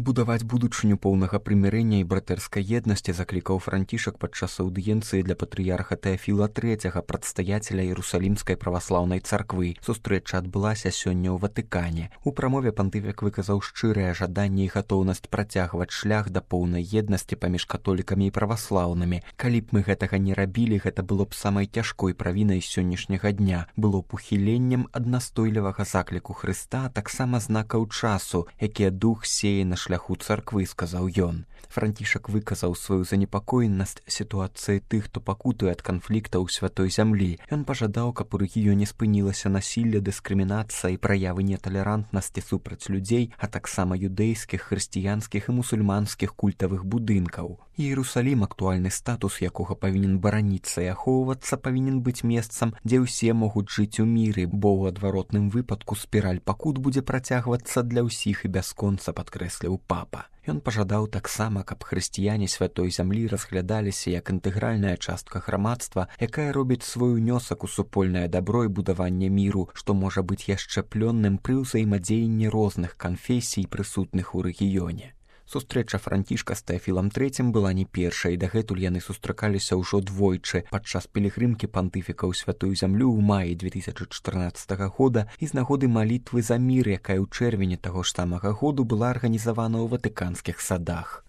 Будаваць будучыню поўнага прымірэння і братэрскай еднасці заклікаў Францішак падчас аўдыенцыі для патрыярха Тэафіла III, прадстаяцеля Іерусалімскай праваслаўнай царквы. Сустрэча адбылася сёння ў Ватыкане. У прамове пантыфік выказаў шчырае жаданне і гатоўнасць працягваць шлях да поўнай еднасці паміж католікамі і праваслаўнымі. Калі б мы гэтага не рабілі, гэта было б самай цяжкой правінай сённяшняга дня. Было б ухіленнем ад настойлівага закліку Хрыста, таксама знакаў часу, якія дух сее на шляху царквы, сказаў ён. Францішак выказаў сваю занепакоенасць сітуацыі тых, хто пакутуе ад канфлікта ў святой зямлі. Ён пажадаў, каб у рэгіёне спынілася насілле, дыскрымінацыя і праявы неталерантнасці супраць людзей, а таксама юдэйскіх, хрысціянскіх і мусульманскіх культавых будынкаў. Іерусалім, актуальны статус якога павінен бараніцца і ахоўвацца, павінен быць месцам, дзе ўсе могуць жыць у міры, бо ў адваротным выпадку спіраль пакут будзе працягвацца для ўсіх і бясконца, падкрэсліў папа. Ён пажадаў таксама, каб хрысціяне святой зямлі разглядаліся як інтэгральная частка грамадства, якая робіць свой унёсак у супольнае дабро і будаванне міру, што можа быць яшчэ плённым пры ўзаемадзеянні розных канфесій, прысутных у рэгіёне. Сустрэча Францішка з Тэафілам III была не першай, і дагэтуль яны сустракаліся ўжо двойчы падчас пілігрымкі пантыфіка ў святую зямлю ў маі 2014 года і з нагоды малітвы за мір, якая ў чэрвені таго ж самага году была арганізавана ў ватыканскіх садах.